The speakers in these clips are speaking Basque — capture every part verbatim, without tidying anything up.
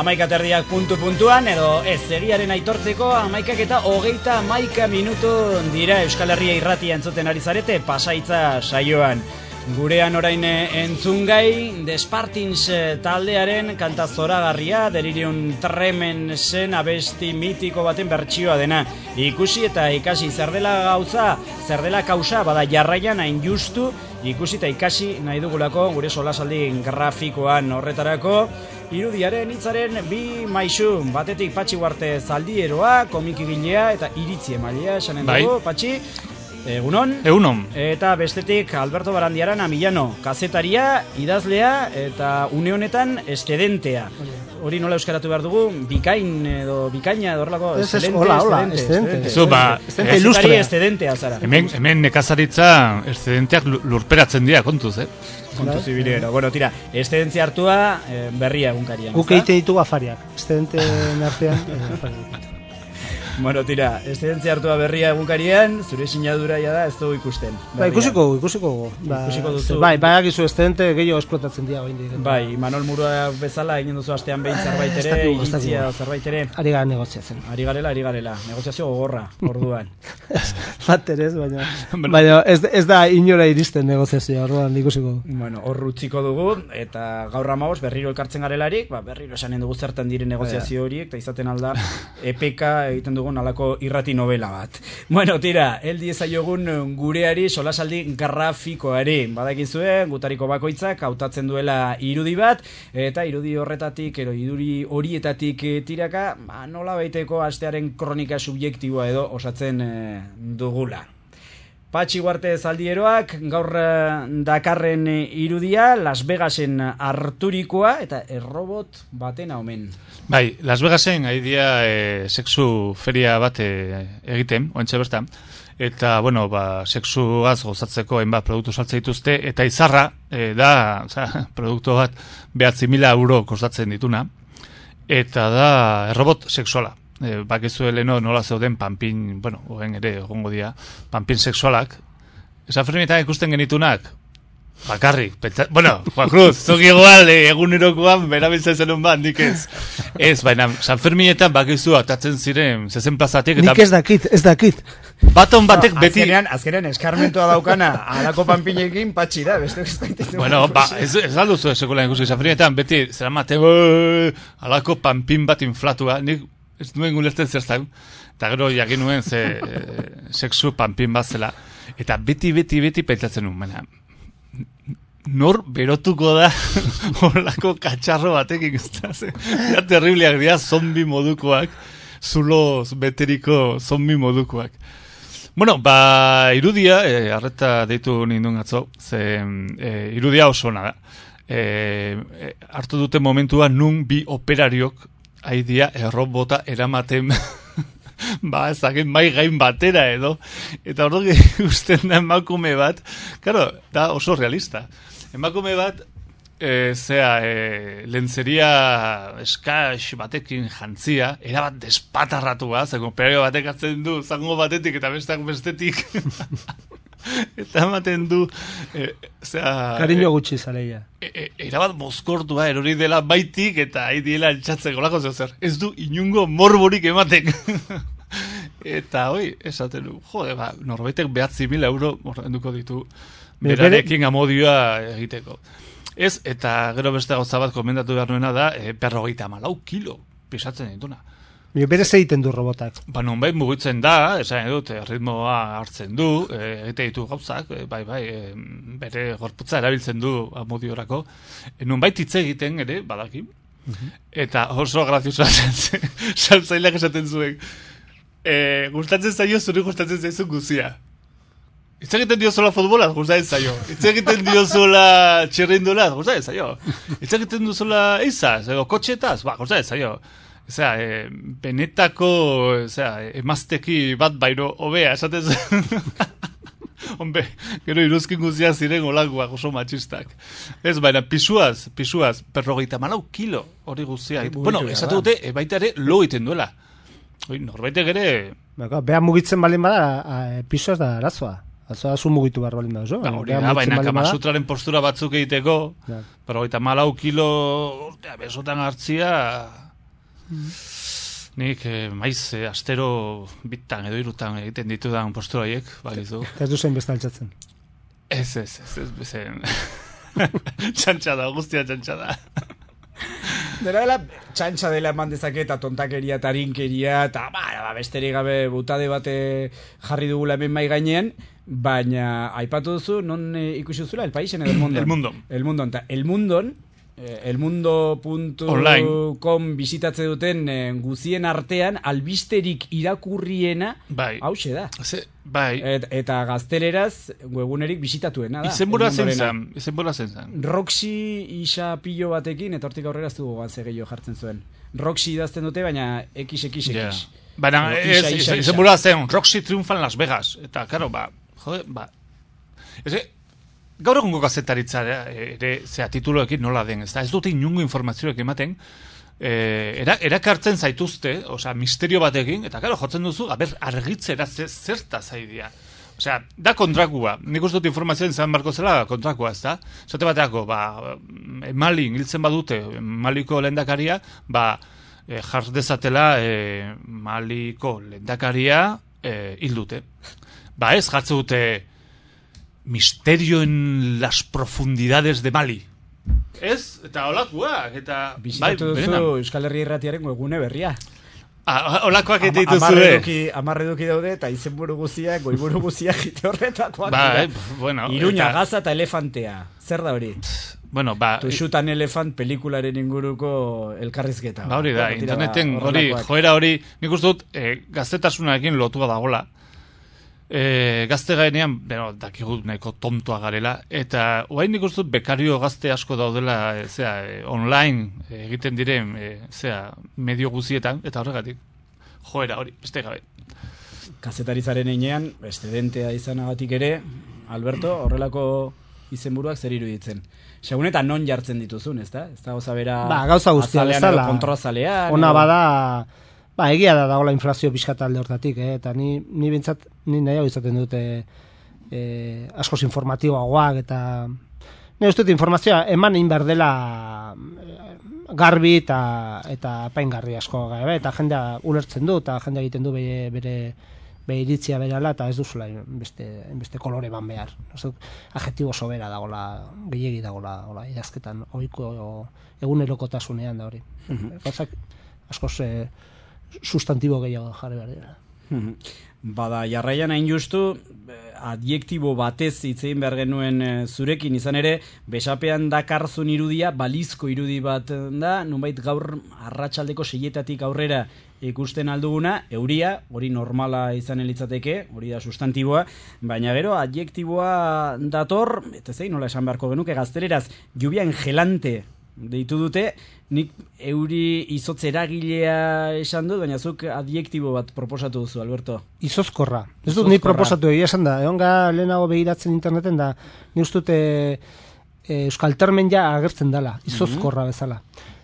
amaikaterdiak puntu puntuan, edo ez egiaren aitortzeko amaikak eta hogeita amaika minutu dira Euskal Herria irratia entzuten ari zarete Pasaitza saioan. Gurean orain entzungai Despartins taldearen kanta zoragarria, Delirium Tremensen abesti mitiko baten bertsioa dena. Ikusi eta ikasi zer dela gauza, zer dela kausa, bada jarraian hain justu, ikusi eta ikasi nahi dugulako gure solasaldi grafikoan horretarako. Irudiaren hitzaren bi maisu, batetik Patxi Uarte zaldieroa, komikigilea eta iritzi emailea esanen dugu, Patxi. Egunon. Egunon. Eta bestetik Alberto Barandiaran Amillano, kazetaria, idazlea eta une honetan eszedentea. Hori nola euskaratu behar dugu, bikain edo bikaina edo horrelako eszelente, hola, hola, eszelente. Kazetari eszedentea zara. Hemen, hemen nekazaritza eszedenteak lurperatzen dira, kontuz, eh? Kontuz ibilero. Bueno, tira, eszedentzia hartua berria egunkarian. Guk eite ditugu afariak, eszedenteen artean afariak. Bueno, tira, eszedentzia hartua berria egunkarian, zure sinadura ja da ez dugu ikusten. Ba, ikusiko, ikusiko. Ba, ikusiko duzu. Bai, bai, akizu eszetente gehiago esplotatzen dira bain dira. Bai, Manol Murua bezala egin duzu astean behin zerbait ere, iritzia zerbait ere. Ari gara negoziatzen. Ari garela, ari garela. Negoziazio gogorra, orduan. Bater ez, baina, baina ez, ez da inora iristen negoziazioa, orduan ikusiko. Bueno, hor utziko dugu, eta gaur amaboz berriro elkartzen garelarik, ba, berriro esanen dugu zertan diren negoziazio horiek, eta izaten alda epeka egiten dugu alako irrati novela bat. Bueno, tira, heldi ezaiogun gureari solasaldi grafikoari. Badakizue, gutariko bakoitzak hautatzen duela irudi bat, eta irudi horretatik, ero irudi horietatik tiraka, ba, nola baiteko astearen kronika subjektiboa edo osatzen eh, dugula. Patxi Uarte zaldieroak gaur dakarren irudia Las Vegasen harturikoa eta errobot baten omen. Bai, Las Vegasen haidia e, sexu feria bat e, egiten, oentxe bertan, eta, bueno, ba, sexuaz gozatzeko hainbat produktu saltzen dituzte, eta izarra e, da, oza, produktu bat behatzi mila euro kostatzen dituna, eta da errobot sexuala. E, bakizu heleno nola zeuden panpin, bueno, ogen ere egongo dira, panpin sexualak. Esa fermietan ikusten genitunak, bakarrik, pentsa, bueno, Juan Cruz, zuk igual eh, egunerokoan berabiltzen zenun bat, nik ez. Ez, baina San Ferminetan bakizu atatzen ziren zezen plazatik. Nik ez dakit, ez dakit. Baton batek no, beti... Azkenean, azkenean eskarmentoa daukana alako panpinekin Patxi da, beste ez daitetu. Bueno, ba, ez, ez alduzu esekulan ikusi, San Ferminetan beti zera mate, alako panpin bat inflatua, nik ez duen gulertzen zertan, eta gero jakin nuen ze e, sexu panpin bat zela, eta beti, beti, beti pentsatzen nuen, baina, nor berotuko da horlako katxarro batekin, ja terribliak dira, zombi modukoak, zulo beteriko zombi modukoak. Bueno, ba, irudia, e, arreta deitu nindun atzo, ze e, irudia oso ona da. E, e, hartu dute momentua nun bi operariok haidia errobota eramaten ba, ezagin mai gain batera edo, eta hori usten da emakume bat, claro, da oso realista. Emakume bat, e, zea, e, lentzeria eskax batekin jantzia, erabat despatarratua, zeko operario batek hartzen du, zango batetik eta besteak bestetik, eta ematen du, e, zea... Kariño gutxi zaleia. E, e, erabat mozkortua erori dela baitik eta hain diela altxatzeko lako zer. Ez du inungo morborik ematek. Eta hoi, esaten du, jode, ba, norbaitek behatzi mila euro ordenduko ditu berarekin amodioa egiteko. Ez, eta gero beste gauza bat komendatu behar nuena da, e, berrogeita malau kilo pisatzen dituna. Berez egiten du robotak. Ba, nonbait mugitzen da, esan edut, ritmoa hartzen du, egite ditu gauzak, e, bai, bai, e, bere gorputza erabiltzen du amodiorako. E, nonbait hitz egiten ere, badaki. Uh-huh. Eta oso graziosa saltzaileak esaten zuen. E, gustatzen zaio, zuri gustatzen zaizu guzia. Hitz egiten dio zola futbolaz, gustatzen zaio. Hitz egiten dio zola txirrindolaz, gustatzen zaio. Hitz egiten du zola eizaz, edo kotxetaz, ba, gustatzen zaio. Osea, e, benetako, osea, emazteki bat baino hobea, esaten zen. Hombre, gero iruzkin guztiak ziren olakoak oso matxistak. Ez, baina pisuaz, pisuaz, berrogeita malau kilo hori guztiak. Bueno, esatu dute, e, baita ere lo egiten duela. Oi, norbaitek ere... Beha mugitzen balin bada, pisuaz da arazoa. Azoa zu mugitu behar balin bada, zo? Ba, hori da, baina kamasutraren postura batzuk egiteko, berrogeita malau kilo, urtea, besotan hartzia... Nik eh, maiz eh, astero bitan edo irutan egiten ditudan postura horiek, balizu. Ez duzen besta altzatzen. Ez, ez, ez, ez, bezen. Txantxa da, guztia txantxa da. Dela dela, txantxa dela eman dezake eta tontakeria eta harinkeria eta ba, ba, besterik gabe butade bate jarri dugula hemen mai gainean, baina aipatu duzu, non e, ikusi duzula, El País en El Mundo. El Mundo. El Mundo. Eta El Mundon, elmundo puntu com bisitatze duten eh, guzien artean albisterik irakurriena bai. Hauxe da. Ze, bai. Et, eta gazteleraz webunerik bisitatuena da. Izenbura zen zen. Izenbura zen zen. Roxy isa pilo batekin, eta hortik aurrera ez dugu gantze gehiago jartzen zuen. Roxy idazten dute, baina X X X. Yeah. Baina izenbura zen, Roxy triunfa en Las Vegas. Eta, karo, ba, jode, ba. Eze, gaur egungo gazetaritza ere, zera, tituloekin nola den, ez da, ez dute inungo informazioak ematen, eh, era, erakartzen zaituzte, osea, misterio batekin, eta karo, jotzen duzu, aber, argitzera zerta zaidia. Osea, da kontrakua, nik uste dut informazioen zan barko zela kontrakua, ez da? Zate bateako, ba, Mali hiltzen badute, Maliko lehendakaria, ba, eh, jar dezatela eh, Maliko lehendakaria eh, hildute. Ba ez, jartze dute misterio en las profundidades de Mali. Ez? Eta holakoak, eta... Bisitatu bai, duzu Euskal Herria Irratiaren webgune berria. Ah, holakoak eta dituzu, eh? Amarre eduki daude, eta izenburu guziak, goiburu guziak, ite horretakoak. Ba, eh, bueno... Iruña, eta... gaza eta elefantea. Zer da hori? Bueno, ba... Tuxutan elefant pelikularen inguruko elkarrizketa. Ba, hori da, interneten, hori, joera hori, nik uste dut, eh, gaztetasunarekin lotua dagola. E, gazte gainean, bueno, dakigu nahiko tontoa garela, eta oain nik uste bekario gazte asko daudela, e, zera, e, online e, egiten diren, e, zera, medio guzietan, eta horregatik, joera hori, beste gabe. Kazetarizaren einean, estedentea izanagatik ere, Alberto, horrelako izenburuak zer iruditzen. Segun eta non jartzen dituzun, ez da? Ez da gauza bera... Ba, gauza guztia, ez da, kontrozalean... Ona bada... Ba, egia da dagoela inflazio pixkat alde hortatik, eh? Eta ni, ni bintzat, ni nahiago izaten dute eh, askoz informatiboagoak, eta ni uste dut informazioa eman egin behar dela garbi eta, eta apaingarri asko, eh? Eta jendea ulertzen du, eta jendea egiten du bere, bere, bere iritzia berala, eta ez duzula beste, beste kolore ban behar. Adjektibo sobera dagoela, gehiegi dagoela, idazketan, ohiko egunerokotasunean da hori. Gauzak askoz... Eh, sustantibo gehiago jarri behar dira. Bada, jarraian hain justu, adjektibo batez hitzein behar genuen zurekin izan ere, besapean dakarzun irudia, balizko irudi bat da, nunbait gaur arratsaldeko seietatik aurrera ikusten alduguna, euria, hori normala izan elitzateke, hori da sustantiboa, baina gero adjektiboa dator, eta zein nola esan beharko genuke gazteleraz, lluvia engelante deitu dute, nik euri izotz eragilea esan dut, baina zuk adjektibo bat proposatu duzu, Alberto. Izozkorra. Ez dut nik proposatu egia esan da. Egon ga lehenago begiratzen interneten da, ni ustut e, e, Euskal Termen ja agertzen dela, izozkorra bezala.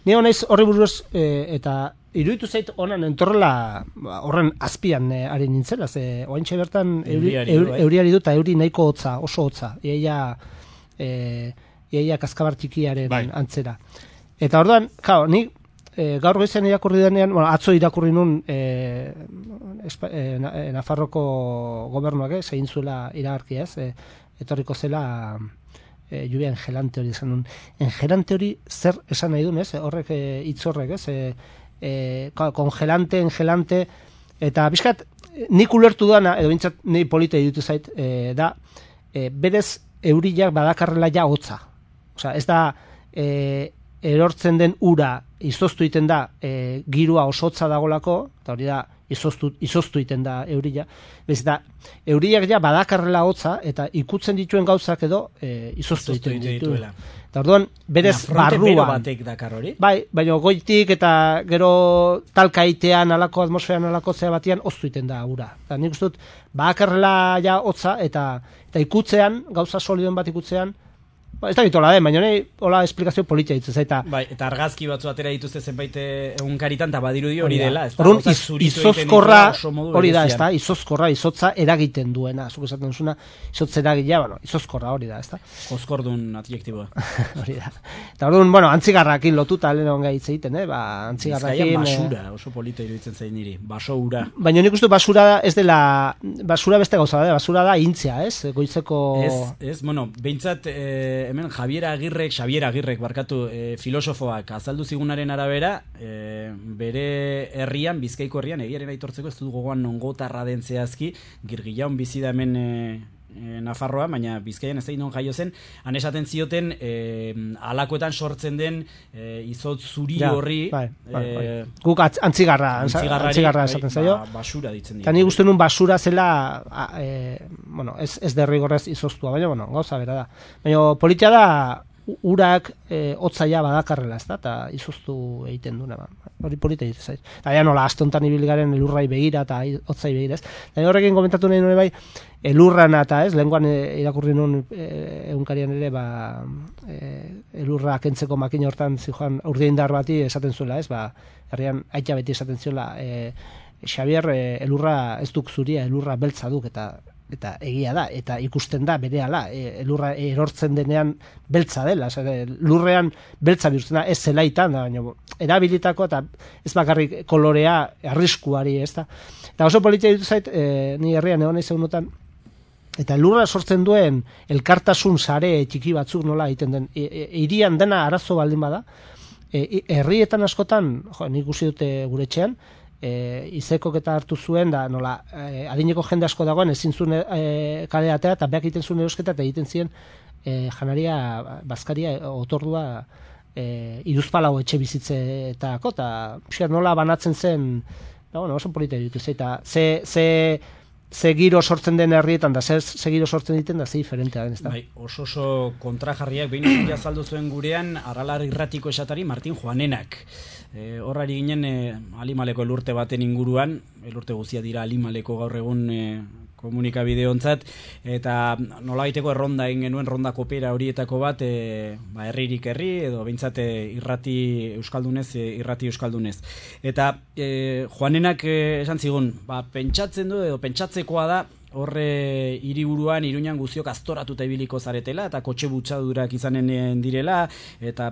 Ni honaiz horri buruz e, eta iruditu zait honan entorrela horren azpian e, ari nintzela, ze oaintxe bertan euriari, euri, euriari dut, euri nahiko hotza, oso hotza. Iaia... E, iaia kaskabar txikiaren bai. Antzera. Eta orduan, kao, ni e, gaur goizean irakurri denean, bueno, atzo irakurri nun e, espa, e, Nafarroko gobernuak, eh, zein zuela iragarkia, ez, e, etorriko zela e, lluvia engelante hori esan nun. Engelante hori zer esan nahi duen, ez, horrek e, hitz horrek, ez, e, e, kongelante, engelante, eta bizkat, nik ulertu dana, edo bintzat, ni polita irutu zait, e, da, e, berez euriak badakarrela ja hotza. Osea, ez da e, erortzen den ura izoztu iten da e, girua osotza dagolako, eta hori da izoztu, izoztu iten da euria. Bez da, euriak ja badakarrela hotza, eta ikutzen dituen gauzak edo e, izoztu iten dituela. Eta orduan, berez barruan. Batek dakar hori? Bai, baina goitik eta gero talkaitean, alako atmosferan, alako zea batian, oztu iten da ura. Eta nik uste dut, badakarrela ja hotza, eta, eta ikutzean, gauza soliduen bat ikutzean, Ba, ez da bitola den, baina nahi hola esplikazio politia ditzen zaita. Bai, eta argazki batzu atera dituzte zenbait egunkaritan, eta badirudi hori dela. Orduan, iz, izozkorra, hori da, ez da, izozkorra, izotza eragiten duena, zuk esaten duzuna, izotza eragilea, bueno, izozkorra hori da, ez da. Jozkordun adjektiboa. Hori da. Eta orduan, bueno, antzigarrakin lotuta lehen onga hitz egiten, eh? Ba, antzigarrakin... Bizkaian basura, oso polita iruditzen zain niri, baso ura. Baina nik uste basura ez dela, basura beste gauza da, basura da intzia, ez? Goizeko... Ez, ez, bueno, behintzat, eh, hemen Javier Agirrek, Xavier Agirrek, barkatu, eh, filosofoak azaldu zigunaren arabera, eh, bere herrian, Bizkaiko herrian, egiaren aitortzeko ez dut gogoan nongotarra den zehazki, Girgillaun bizi da hemen eh, eh, Nafarroa, baina Bizkaian ez da non jaio zen, han esaten zioten eh, alakoetan sortzen den eh, izotz zuri ja, horri, bai, bai, bai. Eh, guk atz, antzigarra, antzigarra esaten zaio. Ba, basura ditzen dira. Eta ni uste nun basura zela, a, e, bueno, ez, ez derrigorrez izoztua, baina, bueno, gauza bera da. Baina politia da, urak e, otzaia badakarrela, ez da, eta izoztu egiten duna, ba. Hori polita ditzen zaiz. Eta ja nola, aste honetan ibilgaren elurrai begira eta otzai begira, ez. Eta horrekin komentatu nahi nuen bai, elurrana eta ez, lehenguan irakurri nuen e, egunkarian ere, ba, e, elurra kentzeko makina hortan zijoan urdeindar bati esaten zuela, ez, ba, herrian aita beti esaten zuela, e, Xavier, e, elurra ez duk zuria, elurra beltza duk, eta eta egia da, eta ikusten da berehala, e, elurra erortzen denean beltza dela, zer, lurrean beltza bihurtzen da, ez zelaitan da, baina erabilitako eta ez bakarrik kolorea arriskuari, ez da. Eta oso politia ditu zait, e, ni herrian egon nahi zeunotan, eta lurra sortzen duen elkartasun sare txiki batzuk nola egiten den, e, e, irian dena arazo baldin bada, e, herrietan askotan, jo, nik ikusi dute gure etxean, E, izekok eta hartu zuen da nola e, adineko jende asko dagoen ezin zuen e, kale atera eta beak egiten zuen erosketa eta egiten ziren e, janaria, bazkaria, otordua e, iruzpalau etxe bizitzetako eta pixkat nola banatzen zen da, bueno, oso polita ditu eta ze, ze, ze giro sortzen den herrietan da ze, ze giro sortzen diten da ze diferentea den, ez da? Bai, oso oso kontrajarriak behin azaldu zuen gurean Aralar irratiko esatari Martin Juanenak. E, horrari ginen e, Alimaleko elurte baten inguruan, elurte guztia dira Alimaleko gaur egun e, komunikabide ontzat, eta nola baiteko erronda egin genuen, ronda kopera horietako bat, e, ba, herririk herri, edo behintzat irrati euskaldunez, e, irrati euskaldunez. Eta e, Juanenak e, esan zigun, ba, pentsatzen du, edo pentsatzekoa da, horre hiriburuan Iruñan guztiok aztoratuta ibiliko zaretela eta kotxe butxadurak izanen direla eta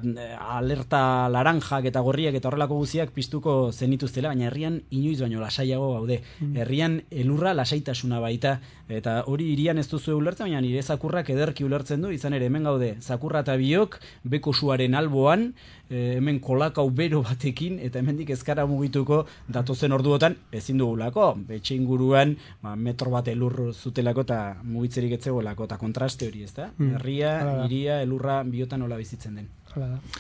alerta laranjak eta gorriak eta horrelako guztiak piztuko zenituztela, baina herrian inoiz baino lasaiago gaude. Herrian elurra lasaitasuna baita eta hori hirian ez duzu ulertzen, baina nire zakurrak ederki ulertzen du, izan ere hemen gaude zakurra eta biok beko suaren alboan, e, hemen kolakau bero batekin eta hemendik ezkara mugituko datozen orduotan ezin dugulako, betxe inguruan ba, metro bat elur zutelako eta mugitzerik etzegoelako eta kontraste hori, ez da? Mm. Herria, hiria, elurra biotan nola bizitzen den.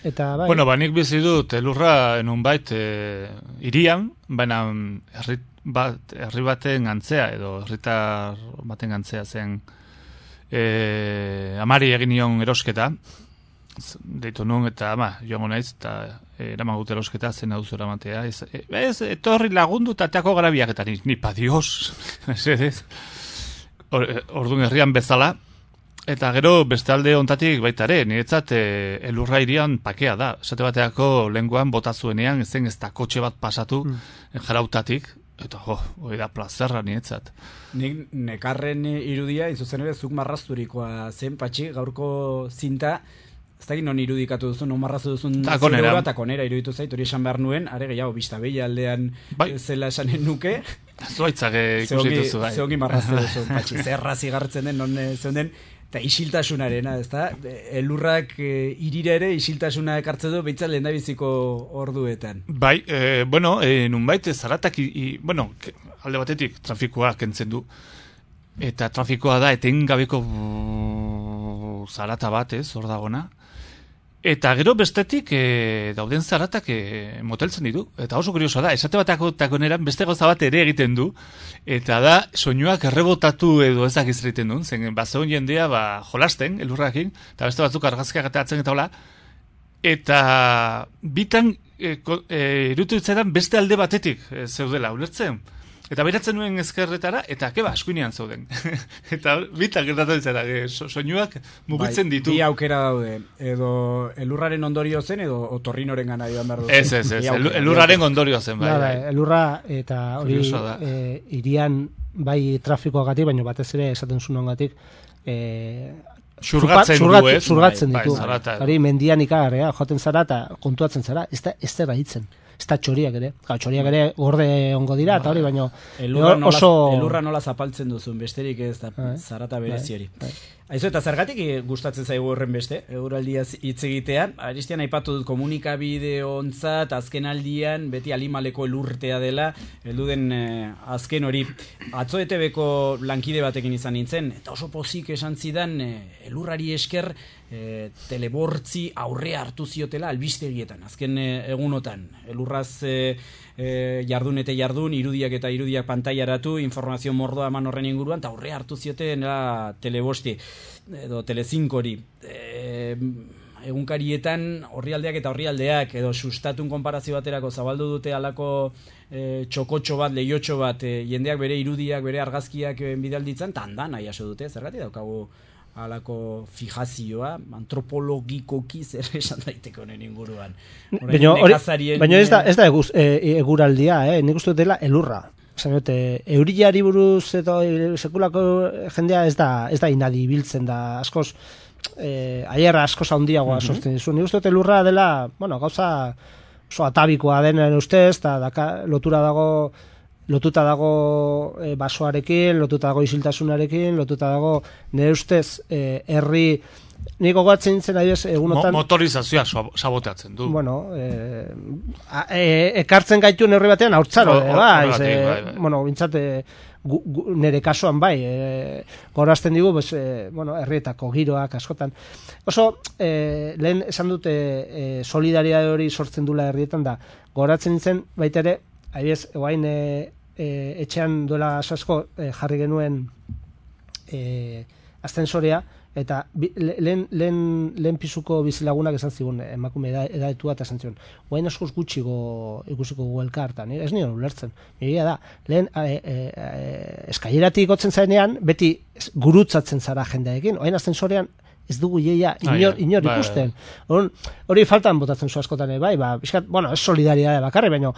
Eta bai. Bueno, ba, nik bizi dut elurra enun bait e, irian, baina herri bat, herri baten gantzea edo herritar baten gantzea zen e, amari egin nion erosketa deitu nun eta ama, joango naiz eta eraman gut erosketa zen hau zura matea ez, ez, etorri lagundu eta teako garabiak eta ni, ni pa dios orduan herrian bezala. Eta gero beste alde ontatik baitare, niretzat e, elurra irian pakea da. Esate bateako lenguan bota zuenean, ezen ez da kotxe bat pasatu mm. jarautatik, eta jo, hori da plazerra niretzat. Nik nekarren irudia, inzuzen ere, zuk marrazturikoa zen, patxi, gaurko zinta, ez da non irudikatu duzun, non marrazu duzun takonera. Takonera iruditu zait, hori esan behar nuen, are gehiago, bista behi aldean bai. Zela esanen nuke. Zuaitzak ikusi duzu, bai. Zeongi marrazu duzu, patxi, zerra zigartzen den, non zeon den, eta isiltasunarena, ez da? Elurrak e, irira ere isiltasuna ekartze du, behitzat lehen biziko orduetan. Bai, e, bueno, e, nunbait zaratak, i, i, bueno, alde batetik trafikoa kentzen du, eta trafikoa da etengabeko zarata bat, ez, hor dagona. Eta gero bestetik e, dauden zaratak e, moteltzen ditu. Eta oso kuriosoa da, esate batako takoneran beste gauza bat ere egiten du. Eta da, soinuak errebotatu edo ezak izriten duen. Zen, bazeon jendea ba, jolasten, elurrakin, eta beste batzuk argazkiak eta atzen eta hola. Eta bitan, e, e, irutu itzaetan beste alde batetik e, zeudela, ulertzen? Eta beratzen nuen ezkerretara, eta keba, eskuinean zauden. Eta bitak gertatzen zara, so, soinuak mugitzen bai, ditu. Bi aukera daude, edo elurraren ondorio zen, edo otorrinoren gana joan behar duzu. Ez, ez, ez, el, elurraren ondorio zen, bai. Da, bai. Elurra eta hori e, irian bai trafikoagatik, baina batez ere esaten zunongatik, e, Xurgatzen Zurgat, du, ez? Zurgatzen bai, ditu. Bai, hori mendian ikagarea, joaten zara eta kontuatzen zara, ez da, ez da hitzen. Ez da txoriak ere. Ga, txoriak ere gorde ongo dira, eta hori baino elurra nola, oso... elurra nola zapaltzen duzun, besterik ez da zarata berezi hori. Aizu, eta zergatik gustatzen zaigu horren beste, eguraldiaz hitz egitea. Aristian aipatu dut komunikabide ontzat, azken aldian, beti alimaleko elurtea dela, heldu den eh, azken hori. Atzo E T Bko lankide batekin izan nintzen, eta oso pozik esan zidan, eh, elurrari esker, eh, telebortzi aurrea hartu ziotela albistegietan, azken eh, egunotan. Elurraz eh, eh, jardun eta jardun, irudiak eta irudiak pantailaratu, informazio mordoa eman horren inguruan, eta aurrea hartu zioten telebosti edo telecinkori. E, egunkarietan orrialdeak eta orrialdeak edo sustatun konparazio baterako zabaldu dute alako e, txokotxo bat, lehiotxo bat, e, jendeak bere irudiak, bere argazkiak e, bidalditzen, eta handan nahi aso dute, zergatik daukagu alako fijazioa, antropologikoki zer esan daiteke honen inguruan. Baina ez da, ez da eguz, e, eguraldia, eh? Nik uste dela elurra. Zanote, euriari buruz eta sekulako jendea ez da, ez da inadi biltzen da, askoz, eh, aierra askoz handiagoa mm-hmm. sortzen dizu. Nik uste dut elurra dela, bueno, gauza oso atabikoa denen ustez, eta daka, lotura dago, lotuta dago e, basoarekin, lotuta dago isiltasunarekin, lotuta dago, nire ustez, eh, herri, niko gogatzen nintzen adibes egunotan... Mo, motorizazioa saboteatzen du. Bueno, e, e, ekartzen gaitu neurri batean haurtzaro, no, bai, bai, bai, bai. Bueno, bintzate nire kasuan bai, e, gorazten digu, pues, e, bueno, herrietako giroak askotan. Oso, e, lehen esan dute e, solidaridade hori sortzen dula herrietan da, goratzen nintzen baita ere, adibes, eguain e, e, etxean duela asko e, jarri genuen e, astensorea, eta lehen, lehen, lehen pisuko bizilagunak esan zigun emakume edaetua eta esan zigun guain askoz gutxiko ikusiko gu elkartan, ez nion ulertzen egia da, lehen e, e, e, eskaileratik gotzen zarenean beti gurutzatzen zara jendeekin oain astensorean ez dugu jeia inor, inor ikusten hori faltan botatzen zu askotan bai, ba, biskat, bueno, ez solidaridade bakarri baina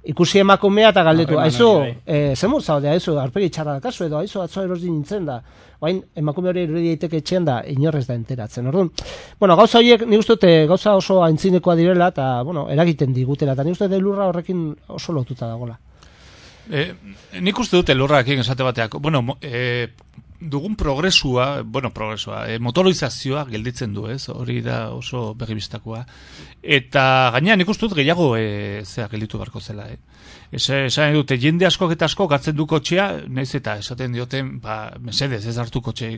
ikusi emakumea eta galdetu, aizu, e, zemur zaude, aizu, arpegi txarra da kasu edo, aizu, atzo erosi nintzen da, oain emakume hori irudi daiteke etxean da, inorrez da enteratzen, orduan. Bueno, gauza horiek, nik uste dute, gauza oso aintzinekoa direla, eta, bueno, eragiten digutela, eta nik uste dute elurra horrekin oso lotuta dagoela. E, nik uste dute elurrakin esate bateak, bueno, e, dugun progresua, bueno, progresua, e, motorizazioa gelditzen du, ez? Hori da oso begibistakoa. Eta gaina nik uste dut gehiago e, zea gelditu barko zela, eh? Esan dute, jende askok eta askok hartzen du kotxea, naiz eta esaten dioten, ba, mesedez, ez hartu kotxe,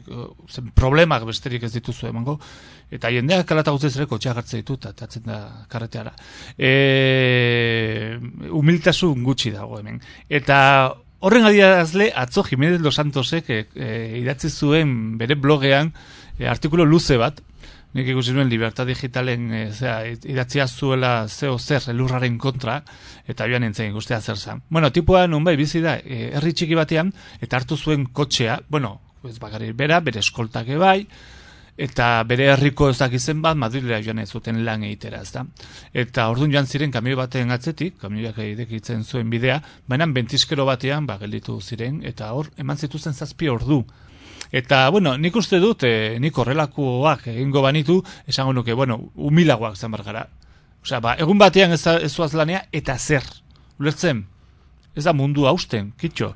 zen problemak besterik ez dituzu emango, eta jendeak kalata guztiz ere kotxea hartzen ditu, eta atzen da karreteara. E, humiltasun gutxi dago hemen. Eta horren adierazle, atzo Jimenez Los Santosek e, e, idatzi zuen bere blogean e, artikulu luze bat, nik ikusi nuen Libertad Digitalen e, zera, idatzia zuela zeo zer elurraren kontra, eta joan nintzen ikustea zer zan. Bueno, tipua nun bai bizi da, e, herri txiki batean, eta hartu zuen kotxea, bueno, ez bakarrik bera, bere eskoltak bai, eta bere herriko ez dakizen bat, Madrilera joan ez zuten lan egitera, ez da. Eta orduan joan ziren kamioi baten atzetik, kamioiak idekitzen zuen bidea, baina bentiskero batean, ba, gelditu ziren, eta hor, eman zituzen zazpi ordu. Eta, bueno, nik uste dut, e, nik horrelakoak egingo banitu, esango nuke, bueno, humilagoak zan bargara. Osea, ba, egun batean ez, ez zuaz lanea, eta zer. Ulertzen, ez da mundu hausten, kitxo.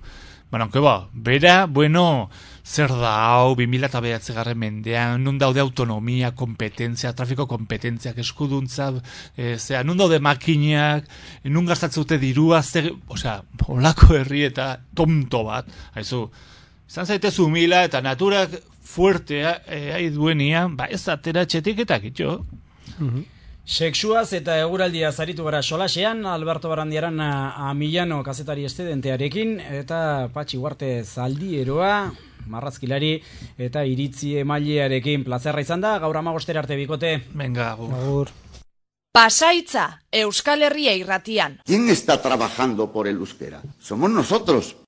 Baina, onke ba, bera, bueno, zer da hau, bi mila bederatzigarren mendean, nun daude autonomia, kompetentzia, trafiko kompetentziak, eskuduntza, e, zera, nun daude makinak, nun gastatzute dirua, zer, osea, holako herri eta tonto bat, haizu, izan zaitez humila eta naturak fuertea e, duenian, ba ez atera txetiketak, itxo. Mm-hmm. Sexuaz eta eguraldia zaritu gara solasean, Alberto Barandiaran a, a Milano kazetari estedentearekin, eta Patxi Huarte zaldieroa, marrazkilari eta iritzi emailearekin plazerra izan da, gaur amagostera arte bikote. Venga, agur. Agur. Pasaitza, Euskal Herria irratian. ¿Quién está trabajando por el euskera? Somos nosotros.